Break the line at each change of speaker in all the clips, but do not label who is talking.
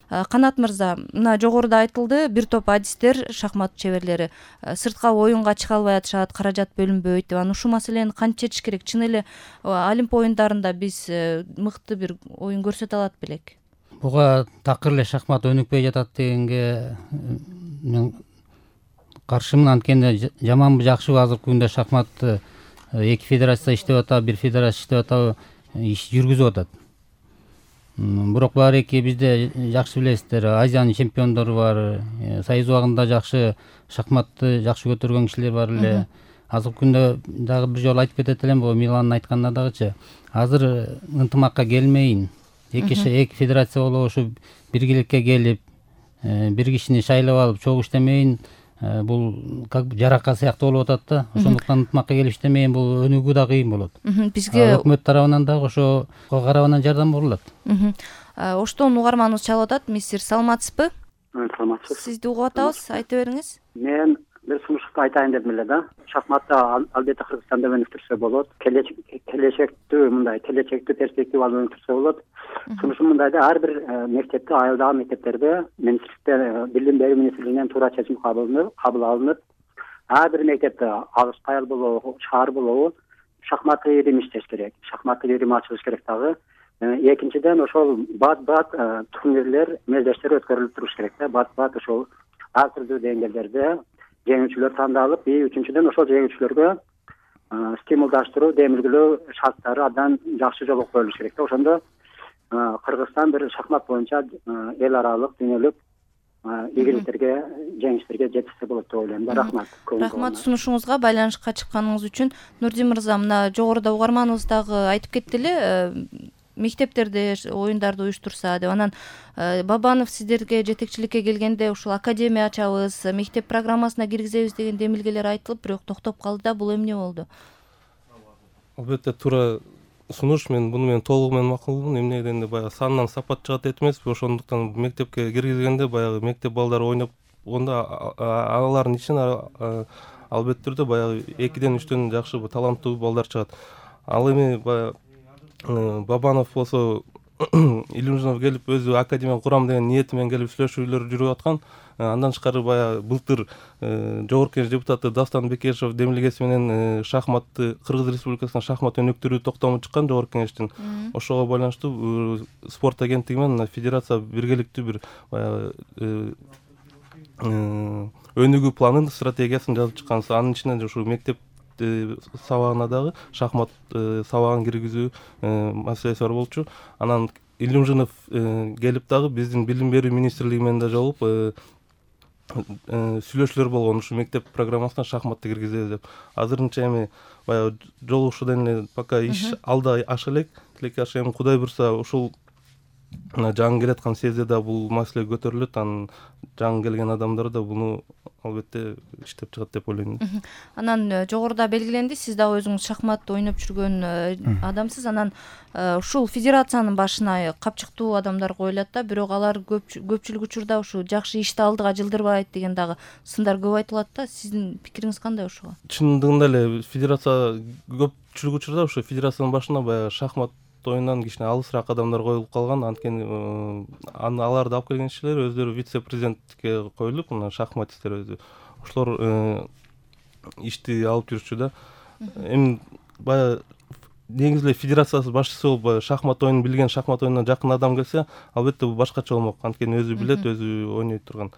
Канат мырза, мына жогоруда айтылды, бир топ адистер, шахмат чеберлери сыртка оюнга чыга албай атышат, каражат бөлүнбөйт деп. Анан ушул маселени кантип чечиш керек? Чын эле Олимп оюндарында биз мыкты бир оюн көрсөтө алат белек?
Буга такыр эле шахмат өнүкпөй жатат дегенге мен каршымын. Анткени жаманбы жакшыбы азыркы күндө шахматты эки федерация иштеп атабы, бир федерация иштеп атабы, иш жүргүзүп атат. Бирок баарыки бизде жакшы билесиздер, Азиянын чемпиондору бар, Союз убагында жакшы шахматты жакшы көтөргөн кишилер бар эле. Азыркы күндө дагы бир жолу айтып кетет элем, бул Миландын айтканына дагычы. Азыр ынтымакка келмейин. Эки федерация болуп ушу биргеликке келип, бир кишини шайлап алып чогуу иштемейин. Бул как жарака сыяктуу болуп атат да. Ошондуктан ынтымакка келип иштемейин, бул өнүгүү да кыйын болот. Бизге өкмөт тарабынан дагы ошо карабынан жардам берилат.
Оштон угарманыбыз чалып атат. Мистер, саламатсызбы?
Саламатсыз.
Сизди угуп атабыз, айта бериңиз.
Мен бир сунушту айтайын дедим эле да. Шахматта албетте Кыргызстанда өнүктүрсө болот. Келечектүү перспективалуу өнүктүрсө болот. Сунушум мындай да, ар бир мектепте, айылдагы мектептерде министрликте, билим берүү министрлигинен туура чечим кабыл алынып, ар бир мектепте алыс айыл болобу, шаар болобу, шахматтык ирим иштеш керек. Шахматтык ирим ачылыш керек дагы. Экинчиден, ошол бат-бат турнирлер, мелдештер өткөрүлүп туруш керек да. Бат-бат ошол ар түрдүү деңгээлдерде жеңүүчүлөр тандалып, үчүнчүдөн ошол жеңүүчүлөргө стимулдаштыруу, демилгелөө шарттары абдан жакшы жолго коюлуш керек да. Ошондо Кыргызстан бир шахмат боюнча эл аралык, дүйнөлүк ийгиликтерге, жеңиштерге жетишсе болот деп ойлойм да. Рахмат.
Рахмат сунушуңузга, байланышка чыкканыңыз үчүн. Нурдин мырза, мына жогоруда угарманыбыз дагы айтып кетти эле, мектептерде оюндарды уюштурса деп. Анан Бабанов сиздерге жетекчиликке келгенде ушул академия ачабыз, мектеп программасына киргизебиз деген демилгелер айтылып, бирок токтоп калды да. Бул эмне болду?
Албетте туура сунуш. Мен буну толугу менен макулмун. Эмне дегенде баягы сандан сапат чыгат дейт эмеспи? Ошондуктан мектепке киргизгенде баягы мектеп балдары ойноп, онда алардын ичинен албетте түрдө баягы 2-3 жакшы таланттуу балдар чыгат. Ал эми баягы Бабанов болсо Илюмжинов келип өзү академия курам деген ниети менен келип сүйлөшүүлөр жүрүп аткан. Андан тышкары баягы былтыр жогорку кеңеш депутаты Дастан Бекешев демилгеси менен шахматты, Кыргыз Республикасынын шахмат өнүктүрүү токтому чыккан жогорку кеңештин. Ошого байланыштуу спорт агенттиги менен федерация биргеликтүү бир баягы өнүгүү планын, стратегиясын жазып чыккан. Анын ичинен ушу мектеп сабагына дагы шахмат сабагын киргизүү маселеси бар болчу. Анан Илюмжинов келип дагы биздин билим берүү министрлиги менен да жолугуп сүйлөшүүлөр болгон, ушу мектеп программасына шахматты киргизебиз деп. Азырынча эми баягы жолугушуудан эле пока иш алда аша элек. Тилекке аша, эми Кудай буйрса ушул жаңы келаткан сезде да бул маселе көтөрүлөт. Анан жаңы келген адамдар да буну албетте иштеп чыгат деп ойлойм.
Анан жогоруда белгиленди, сиз дагы өзүңүз шахматты ойноп жүргөн адамсыз. Анан ушул федерациянын башына капчыктуу адамдар коюлат да, бирок алар көпчүлүк учурда ушу жакшы ишти алдыга жылдырбайт деген дагы сындар көп айтылат да. Сиздин пикириңиз кандай ушуга?
Чындыгында эле федерация көпчүлүк учурда ушу федерациянын башына баягы шахмат оюндан кичине алысыраак адамдар коюлуп калган. Анткени аларды алып келген кишилер өздөрү вице-президентке коюлуп, мына шахматисттер өзү ошолор ишти алып жүрчү да. Эми баягы негизи эле федерациясы башчысы болуп шахмат оюнун билген, шахмат оюнуна жакын адам келсе, албетте бул башкача болмок. Анткени өзү билет, өзү ойной турган.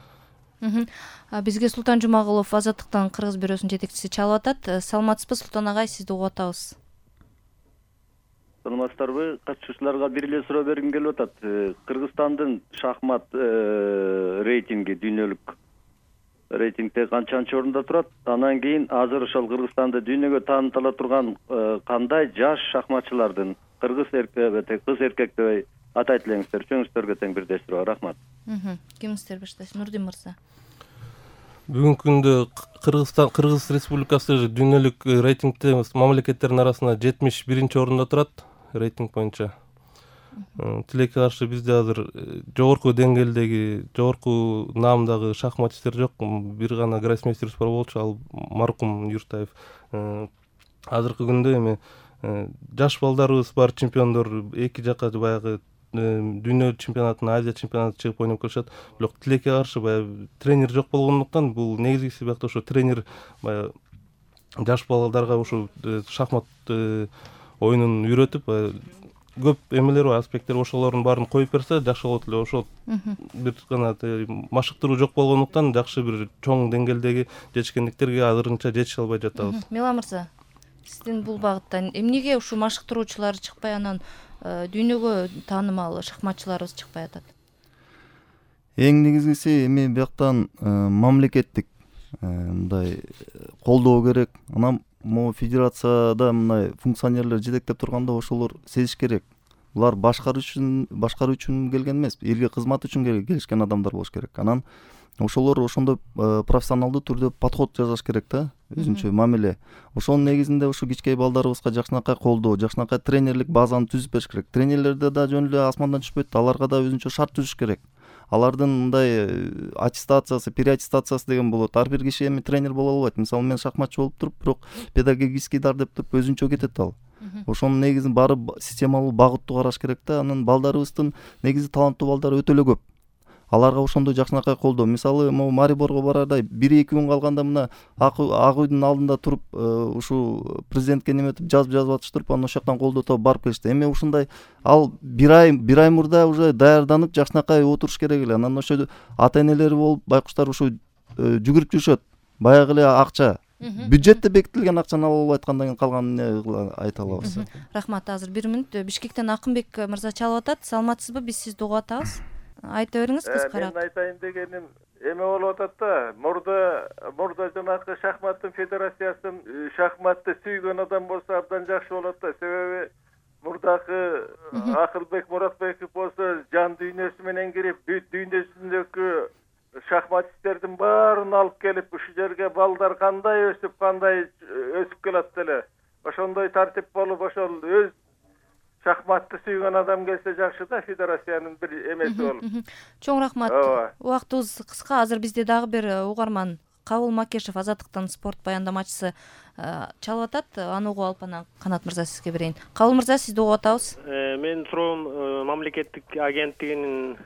Бизге Султан Жумагулов, Азаттыктын Кыргыз бюросунун жетекчиси чалып атат. Саламатсызбы, Султан агай, сизди угуп атабыз.
Саламатсыздарбы? Катышуучуларга бир эле суроо бергим келип атат. Кыргызстандын шахмат рейтинги, дүйнөлүк рейтингде канчанчы орунда турат? Анан кийин азыр ошол Кыргызстанды дүйнөгө таанытыла турган кандай жаш шахматчылардын, кыргыз эркек, кыз эркек деп атайт элеңиздер? Үчөөңүздөргө тең бирдей суроо. Рахмат.
Кимиңиздер баштайсыз? Нурдин мырза.
Бүгүнкү күндө Кыргыз Республикасы дүйнөлүк рейтингде мамлекеттердин арасында 71-чи орунда турат, рейтинг боюнча. Тилекке каршы бизде азыр жогорку деңгээлдеги, жогорку наамдагы шахматисттер жок. Бир гана гроссмейстерибиз бар болчу, ал маркум Юртаев. Азыркы күндө эми жаш балдарыбыз бар, чемпиондор, эки жака баягы дүйнө чемпионатына, Азия чемпионатына чыгып ойноп келишет. Бирок тилекке каршы баягы тренер жок болгондуктан бул негизгиси биякта ошо тренер баягы жаш балдарга ушу шахмат оюнун үйрөтүп көп эмелер бар, аспекттер ошолордун баарын коюп берсе жакшы болот эле. Ошол бир гана машыктыруу жок болгондуктан жакшы бир чоң деңгээлдеги жетишкендиктерге азырынча жетише албай жатабыз.
Мила мырза, сиздин бул багыттан эмнеге ушул машыктыруучулар чыкпай, анан дүйнөгө таанымал шахматчыларыбыз чыкпай атат?
Эң негизгиси эми бияктан мамлекеттик мындай колдоо керек. Анан могу федерацияда мындай функционерлер жетектеп турганда ошолор сезиш керек. Булар башкаруу үчүн келген эмес, элге кызмат үчүн келишкен адамдар болуш керек. Анан ошолор ошондой профессионалдуу түрдө подход жасаш керек да, өзүнчө мамиле. Ошонун негизинде ушу кичкей балдарыбызга жакшынакай колдоо, жакшынакай тренерлик базаны түзүп бериш керек. Тренерлерде да жөн эле асмандан түшпөйт, аларга да өзүнчө шарт түзүш керек. Алардын мындай аттестациясы, переаттестациясы деген болот. Ар бир киши эми тренер боло албайт. Мисалы мен шахматчы болуп туруп, бирок педагогический дар деп туруп өзүнчө кетет ал. Ошонун негизин баары системалуу багыттуу караш керек да. Анан балдарыбыздын негизи таланттуу балдар өтө эле көп. Аларга ошондой жакшынакай колдоо. Мисалы могу Мариборго барарда 1-2 күн калганда мына ак үйдүн алдында туруп, ушул президентке неметип жазып атыштырып, анан ошол жактан колдоо барып келишти. Эми ушундай ал бир ай мурда уже даярданып жакшынакай отуруш керек эле. Анан ошо ата-энелери болуп байкуштар ушу жүгүрүп жүрүшөт. Баягы эле акча. Бюджетте бекитилген акчаны ала албай аткандан кийин калганын айта алабыз.
Рахмат. Азыр 1 мүнөт Бишкектен Акынбек мырза чалып атат. Саламатсызбы? Биз сизди угуп атабыз. Айта бериңиз кыскараак.
Мен айтайын дегеним эме болуп атат да. Мурда жанагы шахматтын федерациясын шахматты сүйгөн адам болсо абдан жакшы болот да. Себеби мурдагы Акылбек Муратбеков болсо жан дүйнөсү менен кирип, бүт дүйнөсүндөгү шахматисттердин баарын алып келип, ушул жерге балдар кандай өсүп келат эле. Ошондой тартип болуп, ошол өз шахматты сүйгөн адам келсе жакшы да, федерациянын бир эмеси болуп.
Чоң рахмат. Убактыбыз кыска. Азыр бизде дагы бир угарман Кабыл Макешев, Азаттыктын спорт баяндамачысы чалып атат. Аны угуп алып анан Канат мырза сизге берейин. Кабыл мырза, сизди угуп атабыз.
Менин суроом мамлекеттик агенттигинин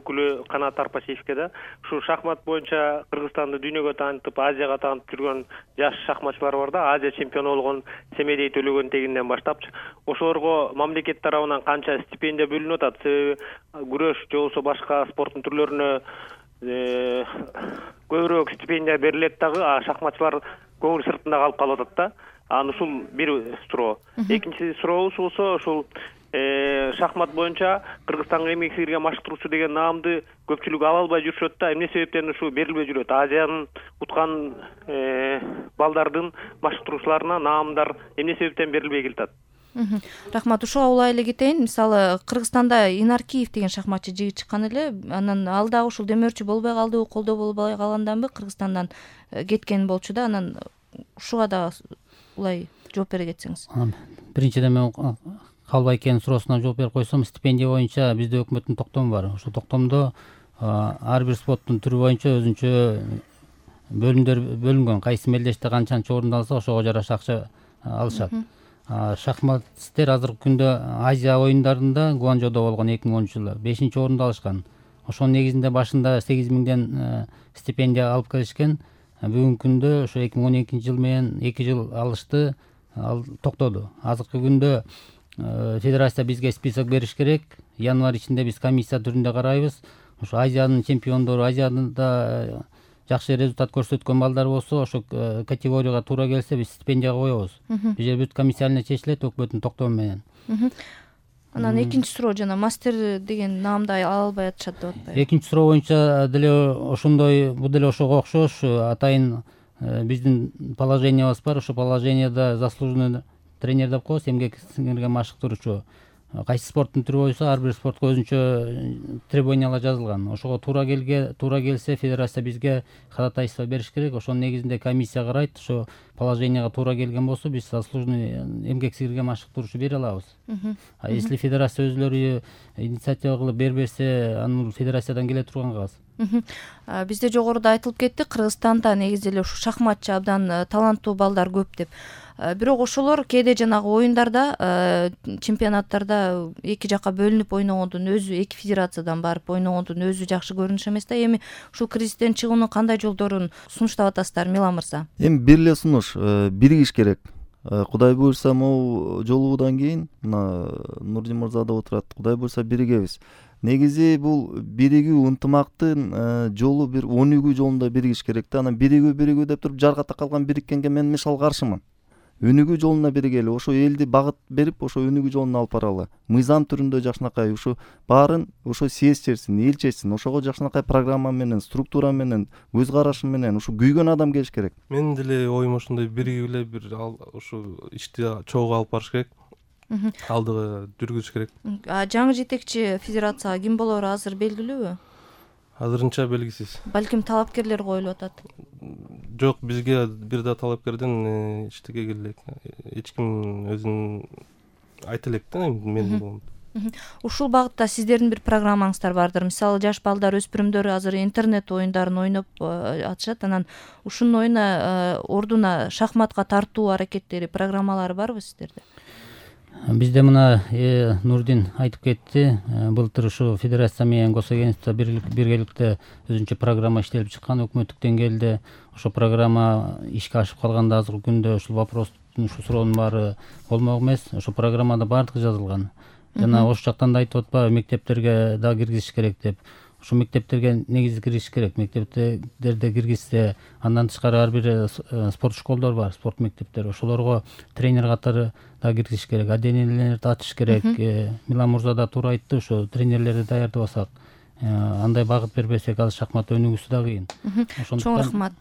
өкүлү Канат Арпашевке да. Ушу шахмат боюнча Кыргызстанды дүйнөгө таанытып, Азияга таанытып жүргөн жаш шахматчылар бар да. Азия чемпиону болгон Семедей Төлөгөнтегинден баштап, ошолорго мамлекет тарабынан канча стипендия бөлүнүп атат? Себеби күрөш же болбосо башка спорттун түрлөрүнө көбүрөөк стипендия берилет дагы, шахматчылар көңүл сыртында калып атат да. Аны ушул бир суроо. Экинчи сурообуз болсо, ушул шахмат боюнча Кыргызстанга эмгек сиңирген машыктыруучу деген наамды көпчүлүк ала албай жүрүшөт да. Эмне себептен ушу берилбей жүрөт? Азиянын уткан балдардын машыктыруучуларына наамдар эмне себептен берилбей келатат?
Рахмат. Ушуга улай эле кетейин. Мисалы Кыргызстанда Инаркиев деген шахматчы жигит чыккан эле. Анан ал дагы ушул демөөрчү болбой калды, колдоо болбой калганданбы Кыргызстандан кеткен болчу да. Анан ушуга да улай жооп бере кетсеңиз.
Биринчиден мен Калбайкенин суроосуна жооп берип койсом, стипендия боюнча бизде өкмөттүн токтому бар. Ошол токтомдо ар бир спорттун түрү боюнча өзүнчө бөлүнгөн. Кайсы мелдеште канчанчы орунду алса, ошого жараша акча алышат. Шахматисттер азыркы күндө Азия оюндарында Гуанчжоудо болгон 2010-жылы 5-орунду алышкан. Ошонун негизинде башында 8.000ден стипендия алып келишкен. Бүгүнкү күндө ошо 2012-жыл менен 2 жыл алышты, ал токтоду. Азыркы күндө федерация бизге список бериш керек. Январь ичинде биз комиссия түрүндө карайбыз. Ошо Азиянын чемпиондору, Азияда жакшы результат көрсөткөн балдар болсо, ошо категорияга туура келсе биз стипендияга коебуз. Бул жер бүт комиссияны чечилет өкмөттүн токтому менен.
Анан экинчи суроо, жана мастер деген наамды ала албай атышат деп атпайбы? Экинчи
суроо боюнча деле ошондой, бул деле ошого окшош. Атайын биздин положениябыз бар. Ошо положенияда заслуженный тренер деп коебуз, эмгек сиңирген машыктыруучу. Кайсы спорттун түрү болсо, ар бир спортко өзүнчө требованиялар жазылган. Ошого туура келсе, федерация бизге ходатайство бериш керек. Ошонун негизинде комиссия карайт. Ошо положенияга туура келген болсо биз заслуженный эмгек сиңирген машыктыруучу бере алабыз. А если федерация өзүлөрү инициатива кылып бербесе, аны федерациядан келе турган кагаз.
Бизде жогоруда айтылып кетти, Кыргызстанда негизи эле ушу шахматчы абдан таланттуу балдар көп деп. Бирок ошолор кээде жанагы оюндарда, чемпионаттарда эки жакка бөлүнүп ойногондун өзү, эки федерациядан барып ойногондун өзү жакшы көрүнүш эмес да. Эми ушул кризистен чыгуунун кандай жолдорун сунуштап атасыздар, Милан мырза?
Эми бир эле сунуш, биригиш керек. Кудай буюрса, могу жолугудан кийин мына Нурдин мырза да отурат, кудай буюрса биригебиз. Негизи бул биригүү, ынтымактын жолу бир өнүгүү жолунда биригиш керек да. Анан биригүү деп туруп жаргата калган бириккенге мен мисалы каршымын. Өнүгүү жолуна биригели, ошо элди багыт берип, ошо өнүгүү жолуна алып баралы. Мыйзам түрүндө жакшынакай ушу баарын ошо съезд чечсин, эл чечсин. Ошого жакшынакай программа менен, структура менен, көз карашы менен ушу күйгөн адам келиш керек.
Менин деле оюм ошондой биригип эле бир ушу ишти чогуу алып барыш керек. Алдыга жүргүзүш керек.
Жаңы жетекчи федерацияга ким болору азыр белгилүүбү?
Азырынча белгисиз.
Балким талапкерлер коюлуп атат.
Жок, бизге бир да талапкерден эчтеке келе элек. Эч ким өзүн айта элек да, мен болом.
Ушул багытта сиздердин бир программаңыздар бардыр. Мисалы, жаш балдар, өспүрүмдөр азыр интернет оюндарын ойноп атышат. Анан ушунун оюна ордуна шахматка тартуу аракеттери, программалары барбы сиздерде?
Бизде мына Нурдин айтып кетти, былтыр ушу федерация менен госагентство биргеликте өзүнчө программа иштелип чыккан өкмөттүк деңгээлде. Ошо программа ишке ашып калганда азыркы күндө ушул вопростун, ушу суроонун баары болмок эмес. Ошо программада баардыгы жазылган. Жана ошол жактан да айтып атпайбы, мектептерге да киргизиш керек деп. Ушу мектептерге негизи киргизиш керек. Мектептерде киргизсе, андан тышкары ар бир спорт школдор бар, спорт мектептери. Ошолорго тренер катары да киргизиш керек. Отделениялерди ачыш керек. Милан мырза да туура айтты, ошо тренерлерди даярдабасак, андай багыт бербесек, азыр шахмат өнүгүүсү да кыйын.
Чоң рахмат.